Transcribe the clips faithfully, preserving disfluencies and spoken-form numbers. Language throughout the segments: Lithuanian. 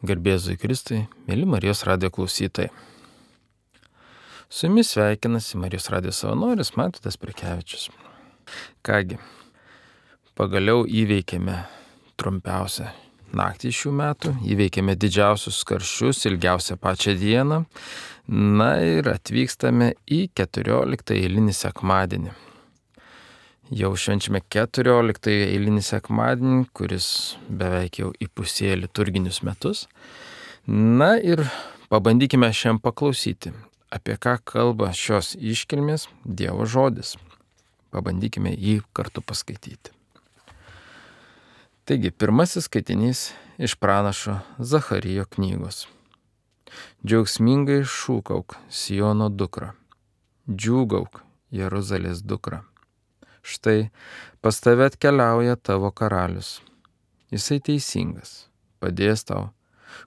Garbėzui Kristui, mėly Marijos radijo klausytojai. Su jumis sveikinasi Marijos radijo savanoris Mantvydas Prekevičius. Kągi, pagaliau įveikėme trumpiausią naktį šių metų, įveikėme didžiausius karščius, ilgiausią pačią dieną, na ir atvykstame į keturioliktąjį eilinį sekmadienį. Jau švenčiame keturioliktąjį eilinį sekmadienį, kuris beveik jau įpusėjo liturginius metus. Na ir pabandykime šiandien paklausyti, apie ką kalba šios iškilmės Dievo žodis. Pabandykime jį kartu paskaityti. Taigi, pirmasis skaitinys iš pranašo Zacharijo knygos. Džiaugsmingai šūkauk, Siono dukra, džiūgauk, Jeruzalės dukra. Štai pas tave atkeliauja tavo karalius. Jisai teisingas, padės tau,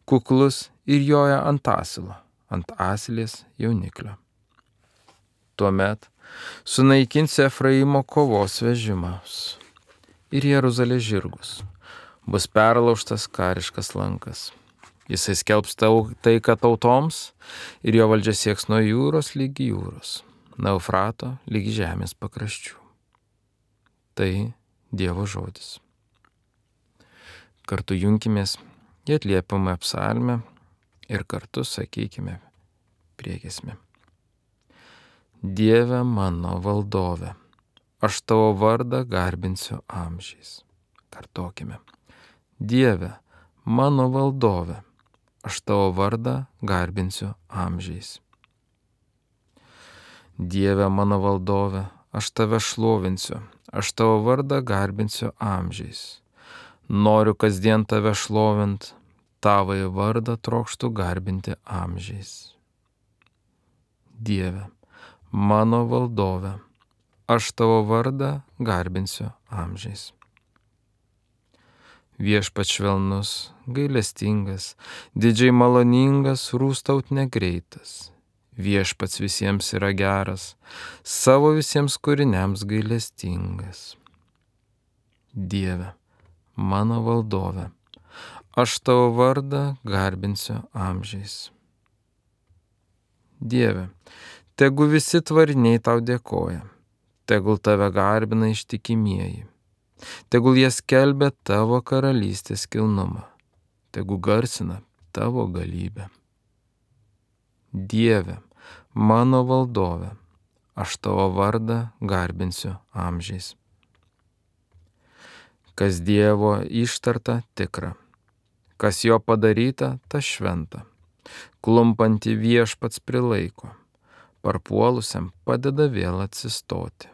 kuklus ir joja ant asilo, ant asilės jauniklio. Tuomet sunaikinsi Efraimo kovos vežimus ir Jeruzalės žirgus. Bus perlaužtas kariškas lankas. Jisai skelbs tau taiką tautoms ir jo valdžia sieks nuo jūros lygi jūros, nuo Eufrato lygi žemės pakraščių. Tai Dievo žodis. Kartu junkimės į atliepiamą psalmę ir kartu sakykime priegiesmę. Dieve mano valdove, aš tavo vardą garbinsiu amžiais. Kartokime. Dieve mano valdove, aš tavo vardą garbinsiu amžiais. Dieve mano valdove, aš tave šlovinsiu. Aš tavo vardą garbinsiu amžiais. Noriu kasdien tave šlovint, tavąjį vardą trokštu garbinti amžiais. Dieve, mano valdove, aš tavo vardą garbinsiu amžiais. Viešpats švelnus, gailestingas, didžiai maloningas, rūstaut negreitas. Viešpats visiems yra geras, savo visiems kūriniams gailestingas. Dieve, mano valdove, aš tavo vardą garbinsiu amžiais. Dieve, tegu visi tvariniai tau dėkoja, tegul tave garbina ištikimieji, tegul jie skelbia tavo karalystės kilnumą, tegul garsina tavo galybę. Dieve, mano valdove, aš tavo vardą garbinsiu amžiais. Kas Dievo ištarta tikra, kas jo padaryta, ta šventa. Klumpantį viešpats prilaiko, parpuolusiam padeda vėl atsistoti.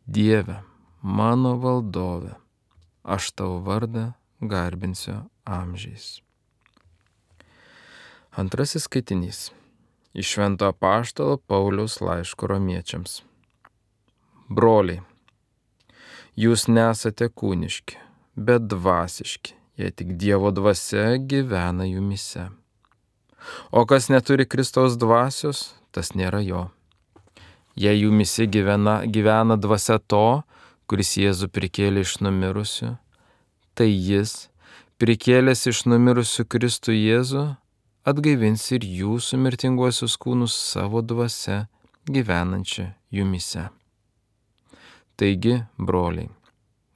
Dieve, mano valdove, aš tavo vardą garbinsiu amžiais. Antrasis skaitinys iš Švento apaštalo Pauliaus laiško romiečiams. Broliai, jūs nesate kūniški, bet dvasiški, jei tik Dievo dvasia gyvena jumyse. O kas neturi Kristaus dvasios, tas nėra jo. Jei jumyse gyvena, gyvena dvasia to, kuris Jėzų prikėlė iš numirusių, tai jis, prikėlęs iš numirusių Kristų Jėzų, atgaivins ir jūsų mirtinguosius kūnus savo dvasia gyvenančią jumyse. Taigi, broliai,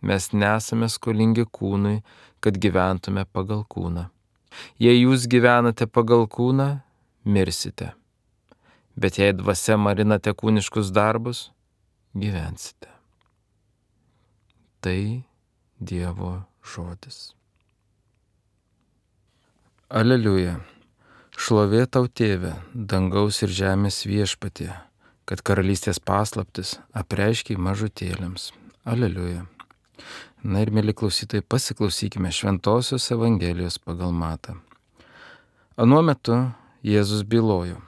mes nesame skolingi kūnui, kad gyventume pagal kūną. Jei jūs gyvenate pagal kūną, mirsite. Bet jei dvasia marinate kūniškus darbus, gyvensite. Tai Dievo žodis. Aleliuja. Šlovė tau, Tėve, dangaus ir žemės viešpatie, kad karalystės paslaptis apreiškei mažutėliams. Aleliuja. Na ir, mėly klausytojai, pasiklausykime Šventosios Evangelijos pagal Matą. Anuo metu Jėzus bylojo: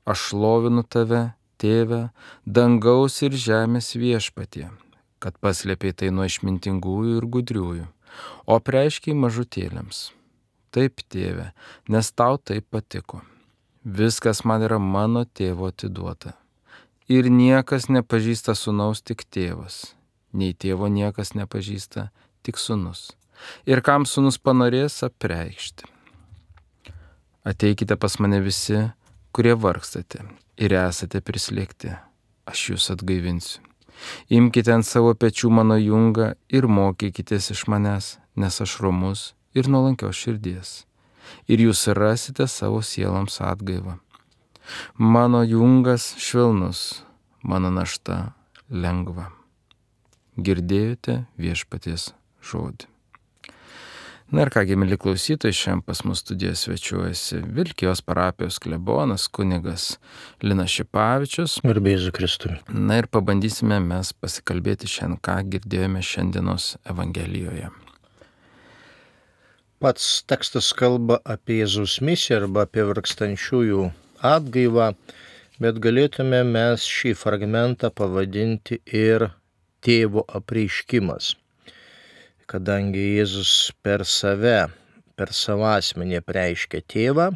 Aš šlovinu tave, Tėve, dangaus ir žemės viešpatie, kad paslėpei tai nuo išmintingųjų ir gudriųjų, o apreiškei mažutėliams. Taip, Tėve, nes tau taip patiko. Viskas man yra mano Tėvo atiduota. Ir niekas nepažįsta sūnaus, tik Tėvas. Nei Tėvo niekas nepažįsta, tik sūnus. ir kam sūnus panorės apreikšti. Ateikite pas mane visi, kurie vargstate ir esate prislėgti, aš jūs atgaivinsiu. Imkite ant savo pečių mano jungą ir mokykitės iš manęs, nes aš romus ir nuolankios širdies. Ir jūs rasite savo sieloms atgaivą. Mano jungas švelnus, mano našta lengva. Girdėjote viešpaties žodį. Na ir kągi, mėly klausytojai, šiandien pas mus studijoje svečiuojasi Vilkijos parapijos klebonas kunigas Linas Šipavičius. Garbė Jėzui Kristui. Na ir pabandysime mes pasikalbėti šiandien, ką girdėjome šiandienos Evangelijoje. Pats tekstas kalba apie Jėzaus misiją arba apie vargstančiųjų atgaivą, bet galėtume mes šį fragmentą pavadinti ir tėvo apreiškimas. Kadangi Jėzus per save, per savo asmenį apreiškia tėvą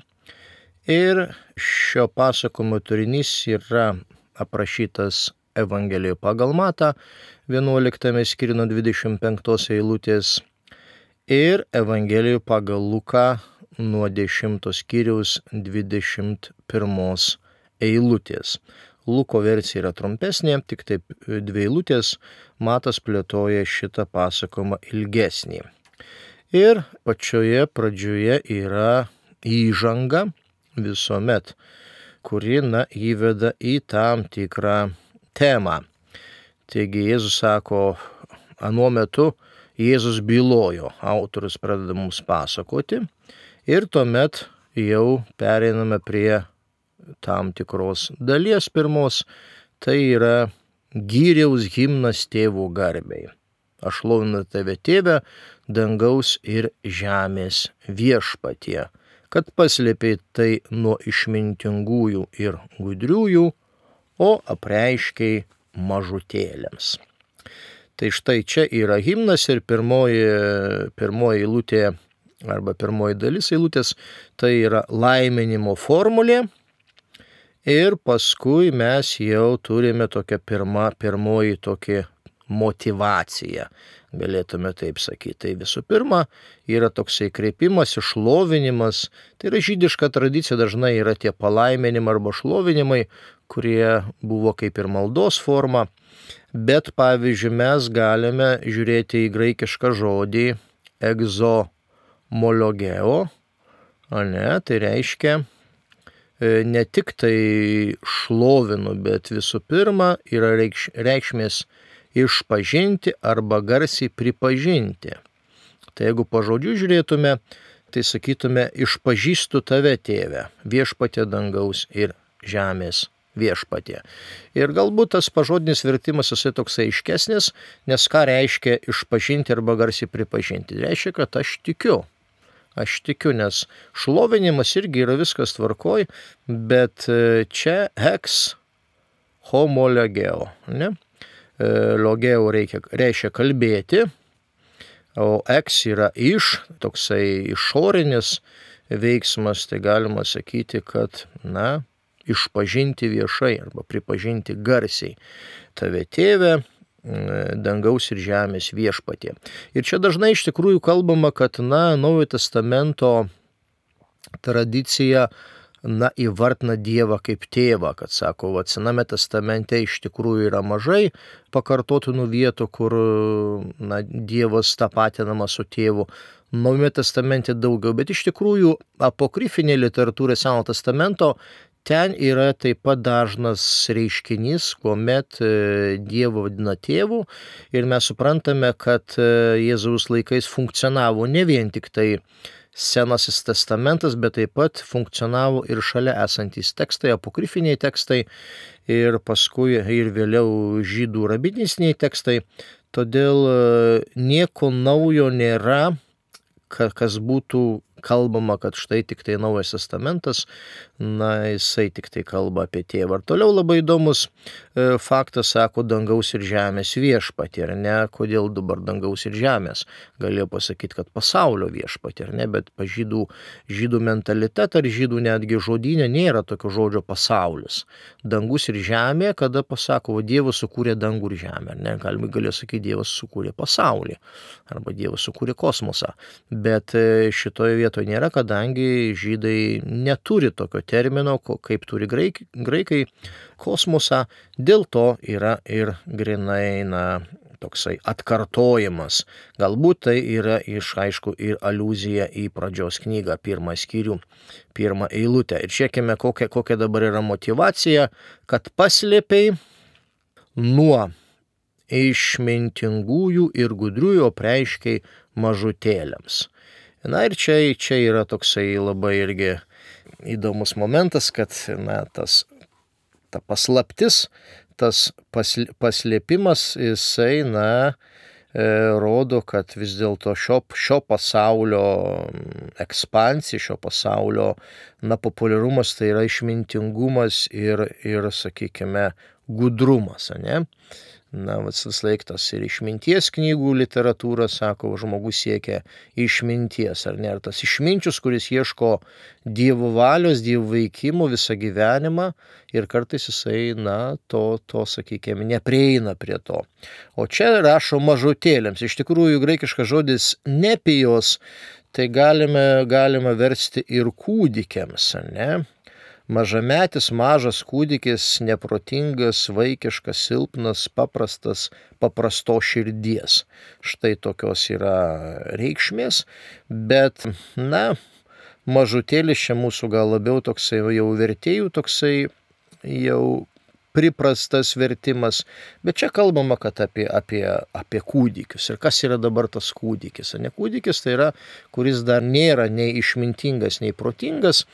ir šio pasakojimo turinys yra aprašytas Evangelijoje pagal Matą vienuoliktame skyriuje nuo dvidešimt penktos eilutės ir Evangelijoje pagal Luką nuo dešimtos skyriaus dvidešimt pirmos eilutės. Luko versija yra trumpesnė, tik taip dvi eilutės, Matas plėtoja šitą pasakojimą ilgesnį. Ir pačioje pradžioje yra įžanga visuomet, kuri na, įveda į tam tikrą temą. Taigi Jėzus sako, anuo metu Jėzus bylojo, autorius pradeda mums pasakoti ir tuomet jau pereiname prie tam tikros dalies pirmos, tai yra gyriaus himnas tėvų garbei. Aš šlovinu tave, tėve, dangaus ir žemės viešpatie, kad paslėpei tai nuo išmintingųjų ir gudriųjų, o apreiškei mažutėliams. Tai štai čia yra himnas ir pirmoji, pirmoji eilutė arba pirmoji dalis eilutės, tai yra laiminimo formulė. Ir paskui mes jau turime tokią pirmą, pirmoji tokia motivacija, galėtume taip sakyti. Tai visų pirma yra toksai kreipimas, išlovinimas, tai yra žydiška tradicija, dažnai yra tie palaiminimai arba šlovinimai, kurie buvo kaip ir maldos forma, bet pavyzdžiui mes galime žiūrėti į graikišką žodį egzomologeo, ne, tai reiškia ne tik tai šlovinu, bet visų pirma yra reikš, reikšmės išpažinti arba garsiai pripažinti. Tai jeigu po žodžių žiūrėtume, tai sakytume, išpažįstu tave, tėve, viešpatie dangaus ir žemės viešpatie. Ir galbūt tas pažodinis vertimas jisai toksai aiškesnis, nes ką reiškia išpažinti arba garsiai pripažinti? Reiškia, kad aš tikiu. Aš tikiu, nes šlovinimas irgi yra viskas tvarkoj, bet čia ex homologeo, ne? Logeo reikia, reiškia kalbėti, o ex yra iš, toksai išorinis veiksmas, tai galima sakyti, kad, na, išpažinti viešai arba pripažinti garsiai. Tave, tėve, dangaus ir žemės viešpatie. Ir čia dažnai iš tikrųjų kalbama, kad, na, Naujojo testamento tradicija, na, įvardina Dievą kaip tėvą, kad sako, va, Sename testamente iš tikrųjų yra mažai pakartotinų vietų, kur, na, Dievas tapatinamas su tėvu. Naujame testamente daugiau, bet iš tikrųjų apokrifinė literatūra Senojo testamento ten yra taip pat dažnas reiškinys, kuomet Dievą vadina tėvu ir mes suprantame, kad Jėzaus laikais funkcionavo ne vien tik tai Senasis testamentas, bet taip pat funkcionavo ir šalia esantys tekstai, apokrifiniai tekstai ir paskui ir vėliau žydų rabinistiniai tekstai. Todėl nieko naujo nėra, kas būtų kalbama, kad štai tik tai Naujas testamentas, na, jisai tik tai kalba apie tėvą. Ir toliau labai įdomus e, faktas, sako, dangaus ir žemės viešpatį, ar ne? Kodėl dabar dangaus ir žemės? Galėjo pasakyti, kad pasaulio viešpatį, ar ne? Bet pa žydų, žydų mentalitetą ar žydų netgi žodynė nėra tokio žodžio pasaulis. Dangus ir žemė, kada pasako, o Dievas sukūrė dangų ir žemę, ar ne? Galima galėjo sakyti, Dievas sukūrė pasaulį arba Dievas sukūrė kosmosą. Bet šitoje vietoje nėra, kadangi žydai neturi tokio termino, kaip turi graik, graikai kosmosą, dėl to yra ir grinai, na, toksai atkartojimas. Galbūt tai yra iš, aišku, ir aliuzija į pradžios knygą, pirmą skyrių, pirmą eilutę. Ir žiūrėkime, kokia, kokia dabar yra motyvacija, kad paslėpiai nuo išmintingųjų ir gudriųjų apreiškiai mažutėliams. Na ir čia, čia yra toksai labai irgi įdomus momentas, kad na, tas, ta paslaptis, tas paslėpimas, jisai, na, e, rodo, kad vis dėlto šio, šio pasaulio ekspansija, šio pasaulio, na, populiarumas tai yra išmintingumas ir, ir sakykime, gudrumas, ne? Na, visas laiktas ir išminties knygų literatūra, sako, žmogus siekia išminties, ar ne? Ar tas išminčius, kuris ieško Dievo valios, Dievo veikimo visą gyvenimą ir kartais jisai, na, to, to, sakykime, neprieina prie to. O čia rašo mažutėliams. Iš tikrųjų, graikiškas žodis nepijos, tai galime, galime versti ir kūdikiams, ar ne? Mažametis, mažas kūdikis, neprotingas, vaikiškas, silpnas, paprastas, paprasto širdies. Štai tokios yra reikšmės, bet, na, mažutėlis čia mūsų gal labiau toksai jau vertėjų, toksai jau priprastas vertimas, bet čia kalbama, kad apie, apie, apie kūdikius. Ir kas yra dabar tas kūdikis? Ne kūdikis tai yra, kuris dar nėra nei išmintingas, nei protingas,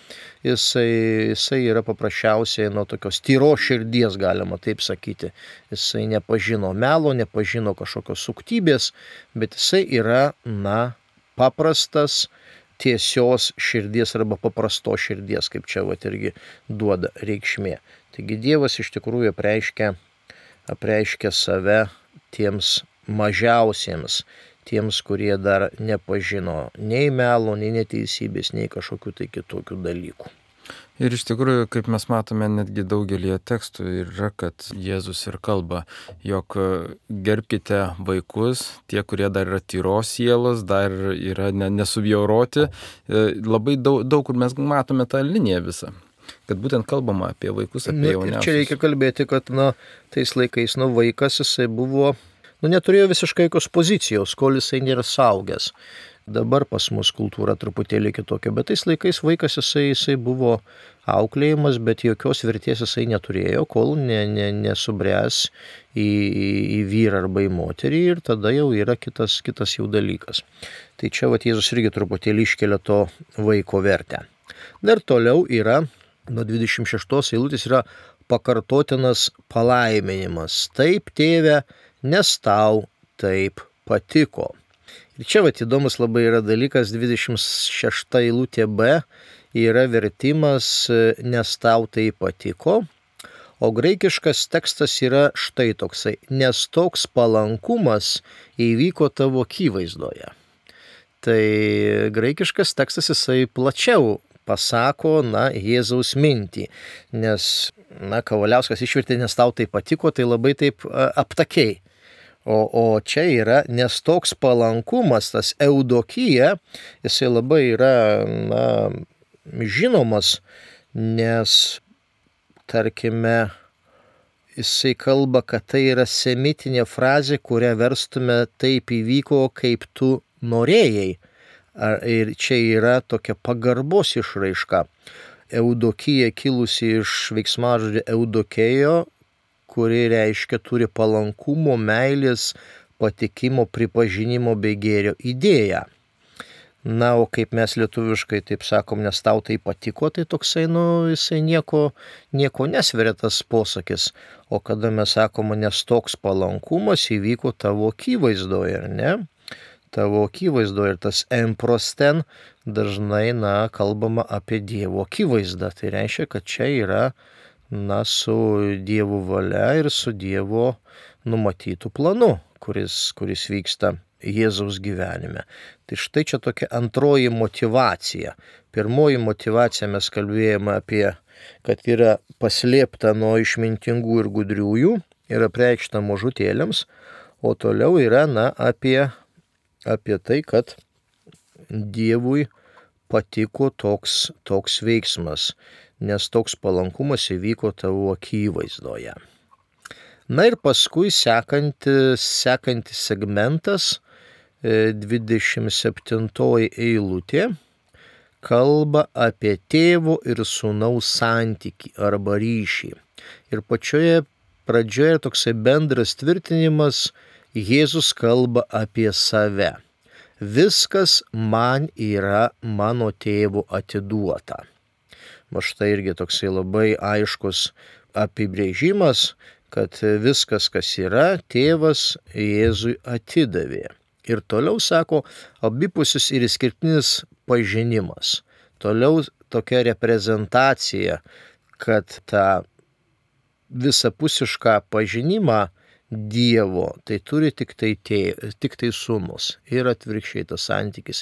jisai, jisai yra paprasčiausiai nuo tokios tyros širdies, galima taip sakyti. Jisai nepažino melo, nepažino kažkokios suktybės, bet jisai yra, na, paprastas, tiesios širdies arba paprasto širdies, kaip čia vat irgi duoda reikšmė. Taigi Dievas iš tikrųjų apreiškia, apreiškia save tiems mažiausiems, tiems, kurie dar nepažino nei melo, nei neteisybės, nei kažkokių tai kitokių dalykų. Ir iš tikrųjų, kaip mes matome, netgi daugelį tekstų yra, kad Jėzus ir kalba, jog gerbkite vaikus, tie, kurie dar yra tyros sielos, dar yra nesubjauroti. Labai daug, daug kur mes matome tą liniją visą. Kad būtent kalbama apie vaikus, apie jauniausius. Čia reikia kalbėti, kad na, tais laikais nu, vaikas jisai buvo, nu, neturėjo visiškai jokios pozicijos, kol jisai nėra saugęs. Dabar pas mus kultūra truputėlį kitokia, bet tais laikais vaikas jisai, jisai buvo auklėjimas, bet jokios vertės jisai neturėjo, kol ne, ne, nesubręs į, į, į vyrą arba į moterį ir tada jau yra kitas, kitas jau dalykas. Tai čia vat Jėzus irgi truputėlį iškelia to vaiko vertę. Dar toliau yra, nuo dvidešimt šeštos eilutės yra pakartotinas palaiminimas. Taip, tėve, nes tau taip patiko. Ir čia vat įdomus labai yra dalykas, dvidešimt šešta eilutė B yra vertimas nes tau tai patiko, o graikiškas tekstas yra štai toksai, nes toks palankumas įvyko tavo akivaizdoje. Tai graikiškas tekstas jisai plačiau pasako, na, Jėzaus mintį, nes, na, Kavaliauskas išvertė, nes tau tai patiko, tai labai taip aptakiai. O, o čia yra, nes toks palankumas, tas eudokija, jisai labai yra, na, žinomas, nes, tarkime, jisai kalba, kad tai yra semitinė frazė, kurią verstume taip įvyko, kaip tu norėjai. Ir čia yra tokia pagarbos išraiška. Eudokija kilusi iš veiksmažodžio eudokėjo, kuri reiškia turi palankumo, meilės, patikimo, pripažinimo bei gėrio idėją. Na, o kaip mes lietuviškai taip sakom, nes tau tai patiko, tai toksai, nu, jisai nieko, nieko nesveria tas posakis. O kada mes sakom, nes toks palankumas įvyko tavo akivaizdoje, ar ne? tavo akivaizdoje. Ir tas emprosten dažnai, na, kalbama apie Dievo akivaizdą. Tai reiškia, kad čia yra, na, su Dievo valia ir su Dievo numatytų planu, kuris, kuris vyksta Jėzaus gyvenime. Tai štai čia tokia antroji motyvacija. Pirmoji motyvacija mes kalbėjome apie, kad yra paslėpta nuo išmintingų ir gudriųjų ir apreikšta mažutėliams, o toliau yra, na, apie, apie tai, kad Dievui patiko toks, toks veiksmas, nes toks palankumas įvyko tavo akivaizdoje. Na ir paskui sekantis, sekantis segmentas, dvidešimt septintoji eilutė, kalba apie tėvo ir sūnaus santykį arba ryšį. Ir pačioje pradžioje toksai bendras tvirtinimas, Jėzus kalba apie save. Viskas man yra mano tėvo atiduota. Va štai irgi toksai labai aiškus apibrėžimas, kad viskas, kas yra, tėvas Jėzui atidavė. Ir toliau sako, abipusis ir išskirtinis pažinimas. Toliau tokia reprezentacija, kad tą visapusišką pažinimą Dievo, tai turi tik tai, tė, tik tai sūnus ir atvirkščiai tas santykis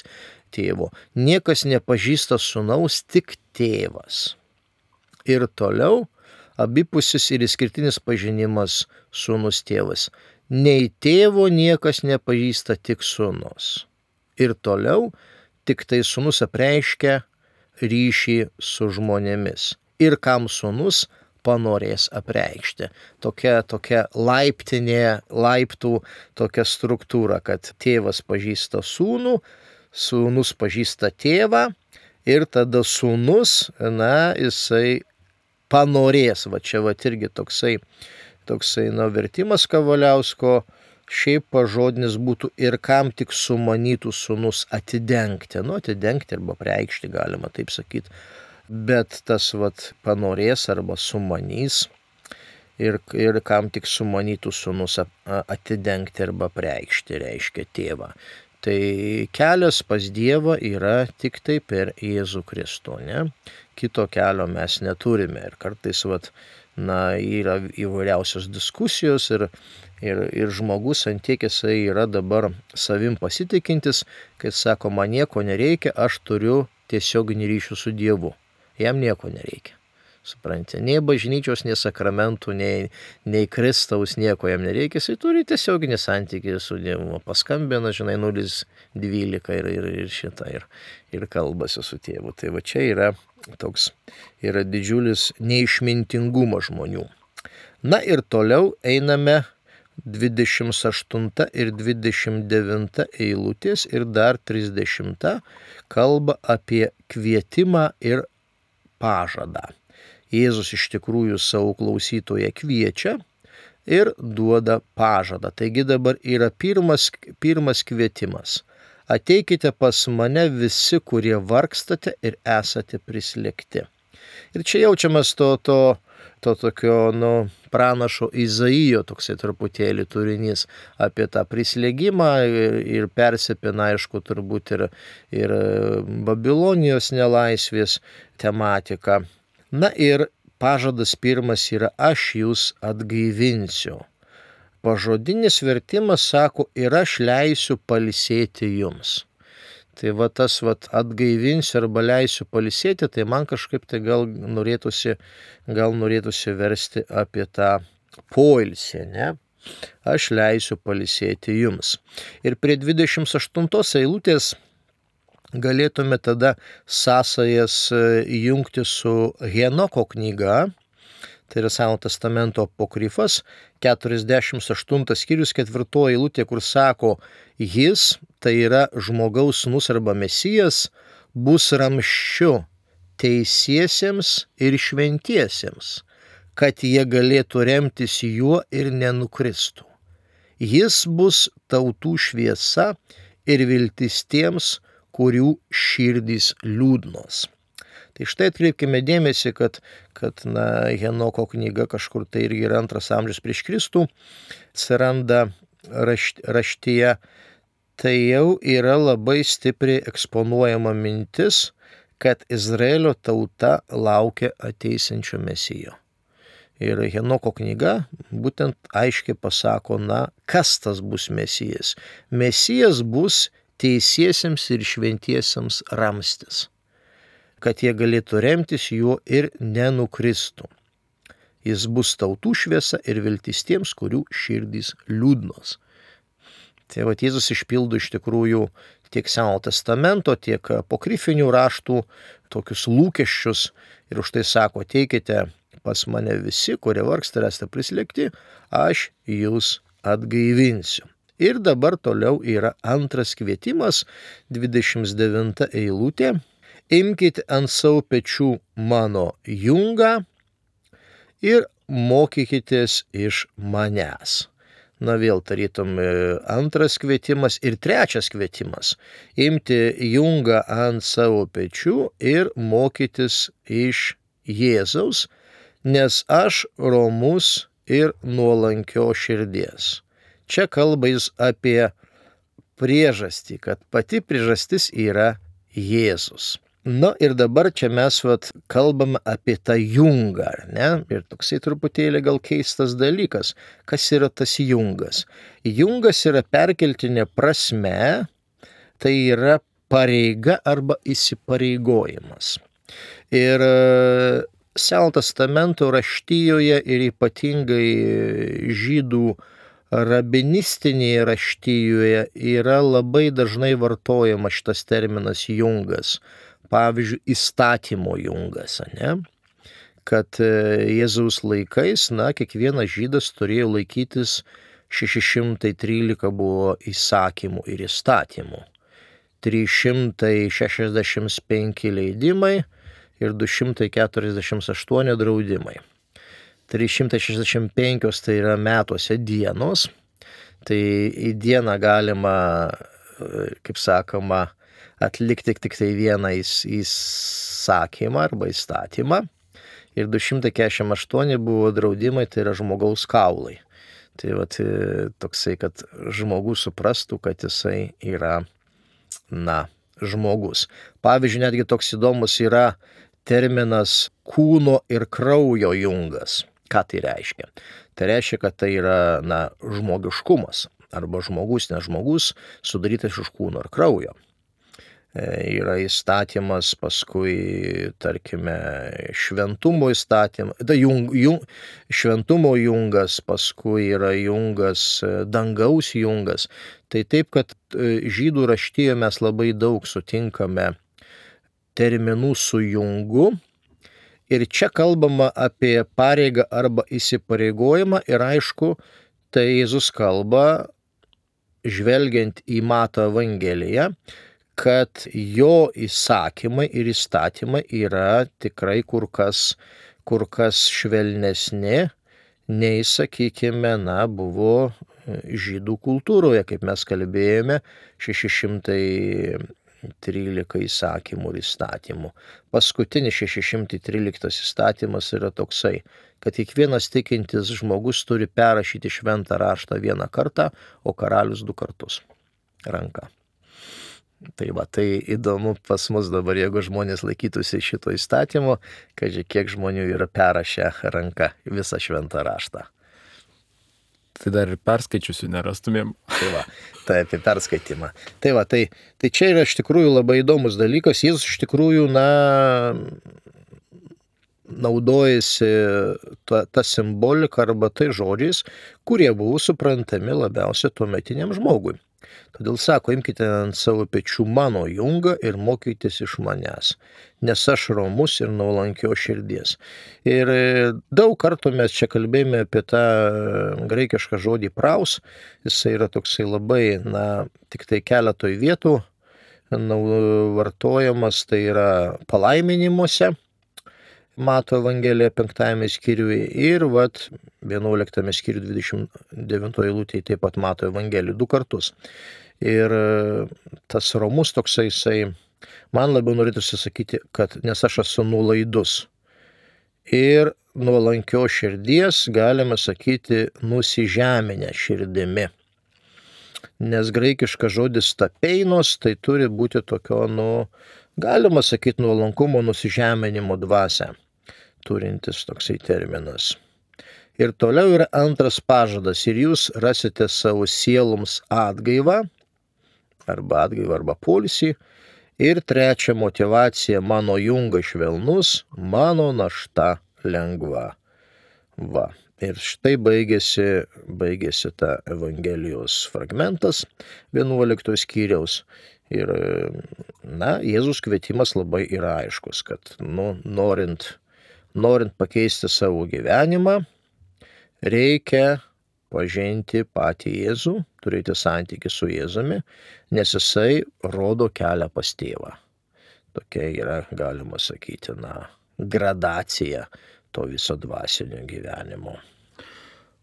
tėvo. Niekas nepažįsta sūnaus, tik tėvas. Ir toliau abipusis ir išskirtinis pažinimas sūnus tėvas. Nei tėvo niekas nepažįsta, tik sūnus. Ir toliau tik tai sūnus apreiškia ryšį su žmonėmis. Ir kam sūnus panorės apreikšti. Tokia, tokia laiptinė, laiptų tokia struktūra, kad tėvas pažįsta sūnų, sūnus pažįsta tėvą ir tada sūnus, na, jisai panorės. Va čia va irgi toksai, toksai, na, vertimas Kavaliausko, šiaip pažodinis būtų ir kam tik sumanytų sūnus atidengti. Nu, atidengti arba preikšti galima taip sakyti. Bet tas vat panorės arba sumanys ir, ir kam tik sumanytų sūnus atidengti arba preikšti, reiškia tėvą. Tai kelias pas Dievą yra tik tai per Jėzų Kristų, ne? Kito kelio mes neturime ir kartais vat, na, yra įvairiausios diskusijos ir, ir, ir žmogus ant tiek jisai yra dabar savim pasitikintis, kai sako, man nieko nereikia, aš turiu tiesioginį ryšį su Dievu. Jam nieko nereikia. Supranti, nei bažnyčios, nei sakramentų, nei, nei Kristaus, nieko jam nereikia. Jisai turi tiesioginį santykį su Dievu. Paskambina, žinai, nulis dvylika ir, ir, ir šitą, ir, ir kalbasi su tėvu. Tai va čia yra toks, yra didžiulis neišmintingumas žmonių. Na ir toliau einame dvidešimt aštunta ir dvidešimt devinta eilutės ir dar trisdešimta kalba apie kvietimą ir pažadą. Jėzus iš tikrųjų savo klausytoją kviečia ir duoda pažadą. Taigi dabar yra pirmas, pirmas kvietimas. Ateikite pas mane visi, kurie vargstate ir esate prislėgti. Ir čia jaučiamas to, to, to tokio, nu, pranašo Izaijo toksai truputėlį turinys apie tą prislėgimą ir, ir persipina, aišku, turbūt ir, ir Babilonijos nelaisvės tematika. Na ir pažadas pirmas yra aš jūs atgaivinsiu. Pažodinis vertimas sako ir aš leisiu pailsėti jums. Tai va tas va atgaivinsiu arba leisiu pailsėti, tai man kažkaip tai gal norėtųsi, gal norėtųsi versti apie tą poilsį, ne? Aš leisiu pailsėti jums. Ir prie dvidešimt aštuntos eilutės galėtume tada sąsajas jungti su Henoko knyga, tai yra Senojo testamento apokrifas, keturiasdešimt aštuntas skyrius, ketvirtoji eilutė, kur sako, jis, tai yra žmogaus sūnus arba mesijas, bus ramsčiu teisiesiems ir šventiesiems, kad jie galėtų remtis juo ir nenukristų. Jis bus tautų šviesa ir viltis tiems, kurių širdys liūdnos. Tai štai atkreipkime dėmesį, kad, kad na, Henoko knyga kažkur tai irgi yra antras amžius prieš Kristų, atsiranda rašt, raštyje. tai jau yra labai stipriai eksponuojama mintis, kad Izraelio tauta laukia ateisinčio Mesijo. Ir Henoko knyga būtent aiškiai pasako, na, kas tas bus Mesijas. Mesijas bus teisiesiems ir šventiesiems ramstis, kad jie galėtų remtis juo ir nenukristų. Jis bus tautų šviesa ir viltis tiems, kurių širdys liūdnos. Tai va, Jėzus išpildo iš tikrųjų tiek Senojo testamento, tiek apokrifinių raštų tokius lūkesčius ir už tai sako, ateikite pas mane visi, kurie vargsta ir esate prislėgti, aš jūs atgaivinsiu. Ir dabar toliau yra antras kvietimas, dvidešimt devinta eilutė. Imkite ant savo pečių mano jungą ir mokykitės iš manęs. Na vėl tarytum antras kvietimas ir trečias kvietimas. Imti jungą ant savo pečių ir mokytis iš Jėzaus, nes aš romus ir nuolankio širdies. Čia kalba jis apie priežastį, kad pati priežastis yra Jėzus. Na ir dabar čia mes vat, kalbame apie tą jungą, ar ne? Ir toksai truputėlį gal keistas dalykas. Kas yra tas jungas? Jungas yra perkeltinė prasme, tai yra pareiga arba įsipareigojimas. Ir Senojo testamento raštijoje ir ypatingai žydų rabinistinėje raštijoje yra labai dažnai vartojamas šitas terminas jungas. Pavyzdžiui, įstatymo jungas, ne? Kad Jėzaus laikais, na, kiekvienas žydas turėjo laikytis šeši šimtai trylika buvo įsakymų ir įstatymų, trys šimtai šešiasdešimt penki leidimai ir du šimtai keturiasdešimt aštuoni draudimai. trys šimtai šešiasdešimt penki tai yra metuose dienos, tai į dieną galima, kaip sakoma, atlikti tik tai vieną įsakymą arba įstatymą. Ir du šimtai keturiasdešimt aštuoni buvo draudimai, tai yra žmogaus kaulai. Tai vat, toksai, kad žmogus suprastų, kad jisai yra, na, žmogus. Pavyzdžiui, netgi toks įdomus yra terminas kūno ir kraujo jungas. Ką tai reiškia? Tai reiškia, kad tai yra, na, žmogiškumas arba žmogus, nes žmogus sudarytas iš kūno ir kraujo. Yra įstatymas, paskui, tarkime, šventumo įstatymas, da, jung, jung, šventumo jungas, paskui yra jungas, dangaus jungas. Tai taip, kad žydų raštijoje mes labai daug sutinkame terminų su jungu. Ir čia kalbama apie pareigą arba įsipareigojimą ir aišku, tai Jėzus kalba, žvelgiant į Mato Evangeliją, kad jo įsakymai ir įstatymai yra tikrai kur kas, kur kas švelnesni, nei, sakykime, na, buvo žydų kultūroje, kaip mes kalbėjome, šeši šimtai trylika įsakymų ir įstatymų. Paskutinis šeši šimtai tryliktas įstatymas yra toksai, kad kiekvienas tikintis žmogus turi perrašyti šventą raštą vieną kartą, o karalius du kartus ranka. Tai va, tai įdomu pas mus dabar, jeigu žmonės laikytųsi šito įstatymo, kad kiek žmonių yra perrašę ranka visą šventą raštą. Tai dar ir perskaičiusių nerastumėm. Tai va, tai apie perskaitimą. Tai va, tai, tai čia yra iš tikrųjų labai įdomus dalykas. Jis iš tikrųjų, na, naudojasi ta, ta simbolika arba tai žodžiais, kurie buvo suprantami labiausiai tuometiniam žmogui. Todėl sako, imkite ant savo pečių mano jungą ir mokykitės iš manęs, nes aš romus ir nuolankio širdies. Ir daug kartų mes čia kalbėjome apie tą graikišką žodį praus, jisai yra toksai labai, na, tik tai keletoj vietų vartojamas, tai yra palaiminimuose, Mato Evangelija penktajame skyriuje ir vat vienuoliktame skyriuje dvidešimt devintoje eilutėje taip pat Mato Evangelijų du kartus. Ir tas romus toksai, jisai, man labiau norėtųsi sakyti, kad nes aš esu nuolaidus. Ir nuolankio širdies galima sakyti nusižeminę širdimi. nes graikiškas žodis tapeinos tai turi būti tokio, nu, galima sakyti, nuolankumo, nusižeminimo dvasią turintis toksai terminas. Ir toliau yra antras pažadas, ir jūs rasite savo sieloms atgaivą, arba atgaivą, arba poilsį. Ir trečia motyvacija, mano jungas švelnus, mano našta lengva. Va. Ir štai baigėsi, baigėsi ta Evangelijos fragmentas vienuolikto skyriaus. Ir, na, Jėzus kvietimas labai yra aiškus, kad, nu, norint, norint pakeisti savo gyvenimą, reikia pažinti patį Jėzų, turėti santykį su Jėzumi, nes jisai rodo kelią pas tėvą. Tokia yra, galima sakyti, na, gradacija to viso dvasinio gyvenimo.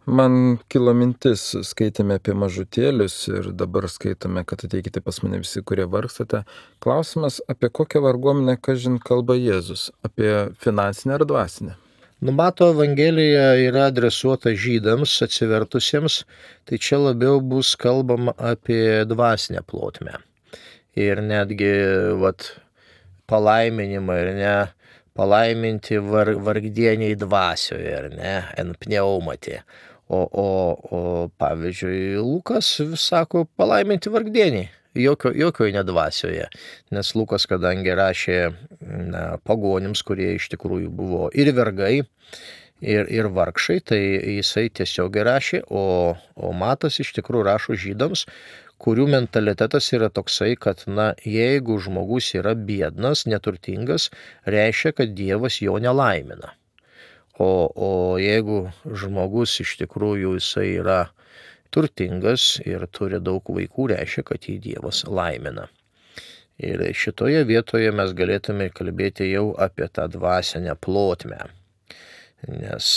Man kilo mintis, skaitėme apie mažutėlius ir dabar skaitome, kad ateikite pas mane visi, kurie vargstate. Klausimas, apie kokią varguomenę, kažin, kalba Jėzus, apie finansinę ar dvasinę? Numato Evangelija yra adresuota žydams atsivertusiems, tai čia labiau bus kalbama apie dvasinę plotmę. Ir netgi, vat, palaiminimą, ir ne, palaiminti var, vargdieniai dvasioje, ar ne, en pneumati. O, o, o pavyzdžiui, Lukas sako palaiminti vargdieniai, jokio, jokio nedvasioje, nes Lukas, kadangi rašė, na, pagonims, kurie iš tikrųjų buvo ir vergai, ir, ir vargšai, tai jisai tiesiog rašė, o, o Matas iš tikrųjų rašo žydams, kurių mentalitetas yra toksai, kad, na, jeigu žmogus yra biednas, neturtingas, reiškia, kad Dievas jo nelaimina. O, o jeigu žmogus iš tikrųjų jisai yra turtingas ir turi daug vaikų, reiškia, kad jį Dievas laimina. Ir šitoje vietoje mes galėtume kalbėti jau apie tą dvasinę plotmę. Nes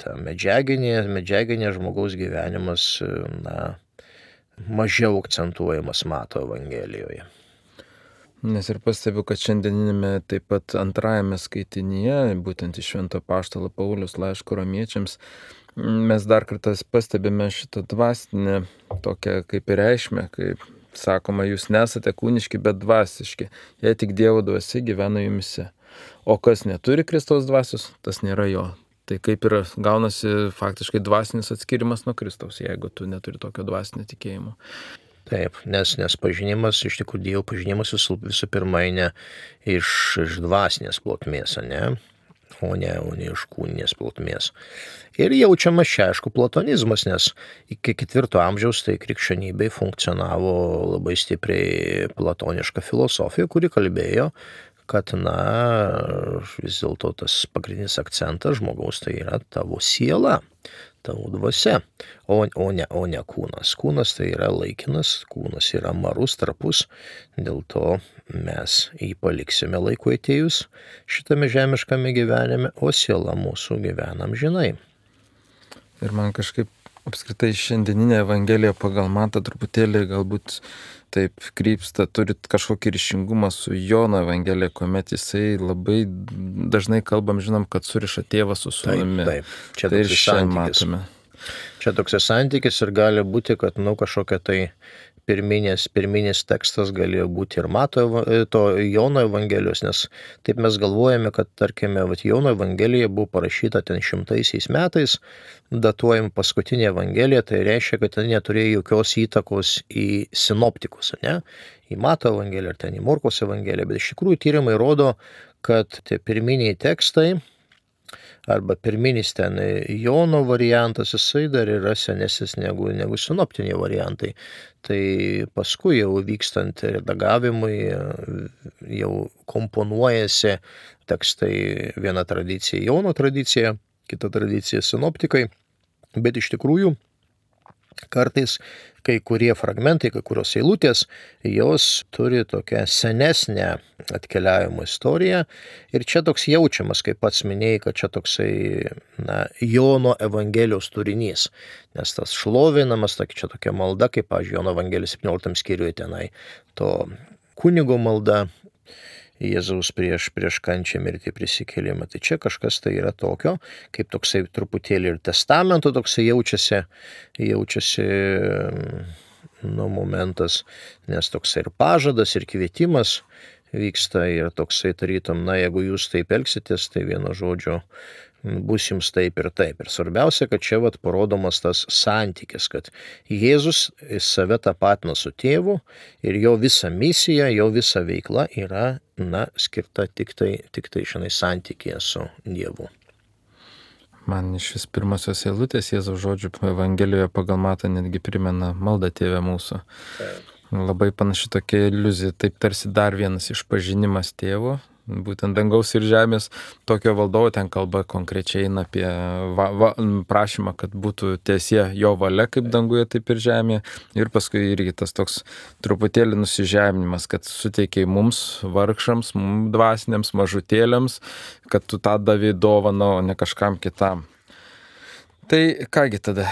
ta medžiaginė, medžiaginė žmogaus gyvenimas, na, mažiau akcentuojamas Mato Evangelijoje. Nes ir pastebiu, kad šiandieninėme taip pat antrajame skaitinyje, būtent iš Švento apaštalo Pauliaus laiško romiečiams, mes dar kartą pastebime šitą dvasinę tokią kaip ir reikšmę, kaip sakoma, jūs nesate kūniški, bet dvasiški, jei tik Dievo dvasia gyvena jumise. O kas neturi Kristaus dvasios, tas nėra jo. Tai kaip ir gaunasi faktiškai dvasinis atskirimas nuo Kristaus, jeigu tu neturi tokio dvasinio tikėjimo. Taip, nes, nes pažinimas, iš tikrųjų Dievo pažinimas visų, visų pirma eina iš, iš dvasinės plotmės, ne? O ne, o ne iš kūninės plotmės. Ir jaučiamas čia, aišku, platonizmas, nes iki ketvirto amžiaus tai krikščionybei funkcionavo labai stipriai platoniška filosofija, kuri kalbėjo, kad, na, vis dėlto tas pagrindinis akcentas žmogaus tai yra tavo siela, tavo dvasia, o, o, ne, o ne kūnas. Kūnas tai yra laikinas, kūnas yra marus, trapus, dėl to mes jį paliksime laiku atėjus šitame žemiškame gyvenime, o siela mūsų gyvenam žinai. Ir man kažkaip apskritai šiandieninė Evangelija pagal Matą truputėlį galbūt taip krypsta, turit kažkokį ryšingumą su Jono Evangelija, kuomet jisai labai dažnai kalbam, žinom, kad suriša tėvą su sūnumi. Taip, taip. Čia tai toks ir šiandien santykis. matome. Čia toks santykis ir gali būti, kad, nu, kažkokia tai pirminis, pirminis tekstas galėjo būti ir Mato, to Jono Evangelijos, nes taip mes galvojame, kad, tarkime, vat, Jono Evangelija buvo parašyta ten šimtaisiais metais, datuojam paskutinė Evangelija, tai reiškia, kad ten neturėjo jokios įtakos į sinoptikus, ne? Į Mato Evangeliją ar ten į Morkos Evangeliją, bet iš tikrųjų tyrimai rodo, kad tie pirminiai tekstai arba pirminis ten Jono variantas, jisai dar yra senesnis negu, negu sinoptiniai variantai. Tai paskui jau vykstant redagavimui jau komponuojasi tekstai, viena tradicija Jono tradicija, kita tradicija sinoptikai, bet iš tikrųjų kartais kai kurie fragmentai, kai kurios eilutės, jos turi tokią senesnę atkeliavimo istoriją ir čia toks jaučiamas, kaip pats minėjai, kad čia toksai, na, Jono Evangelijos turinys, nes tas šlovinamas, čia tokia malda, kaip, pavyzdžiui, Jono Evangelijos septynioliktam skyriuje tenai, to kunigo malda, Jėzaus prieš, prieš kančią, mirtį, prisikėlimą. Tai čia kažkas tai yra tokio, kaip toksai truputėlį ir testamento toksai jaučiasi, jaučiasi, nu, momentas, nes toksai ir pažadas, ir kvietimas vyksta ir toksai tarytum, na, jeigu jūs taip elgsitės, tai vieno žodžio bus jums taip ir taip. Ir svarbiausia, kad čia vat parodomas tas santykis, kad Jėzus save tapatina su tėvu ir jo visa misija, jo visa veikla yra, na, skirta tik tai, tik tai žinai, santykėje su Dievu. Man iš vis pirmosios eilutės Jėzaus žodžių Evangelijoje pagal Matą netgi primena maldą Tėve mūsų. Taip. Labai panaši tokia iliuzija, taip tarsi dar vienas išpažinimas tėvo, būtent dangaus ir žemės, tokio valdovo, ten kalba konkrečiai eina apie va, va, prašymą, kad būtų tiesie jo valia kaip danguje, taip ir žemėje. Ir paskui irgi tas toks truputėlį nusižeminimas, kad suteikiai mums, vargšams, mums dvasiniams, mažutėliams, kad tu tą davai dovaną, o ne kažkam kitam. Tai kągi tada,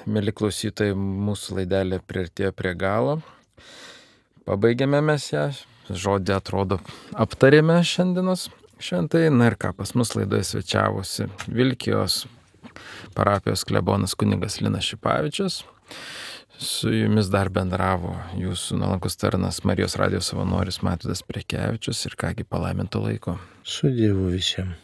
mėly klausytojai, mūsų laidelė priartėjo prie galo. Pabaigėme mes ją, žodį atrodo aptarėme šiandienos šventai. Na ir ką, pas mus laidoje svečiavosi Vilkijos parapijos klebonas kunigas Linas Šipavičius. Su jumis dar bendravo jūsų nuolankus tarnas Marijos radijo savanoris Matydas Prekevičius ir kągi palaiminto laiko. Su Dievu visiems.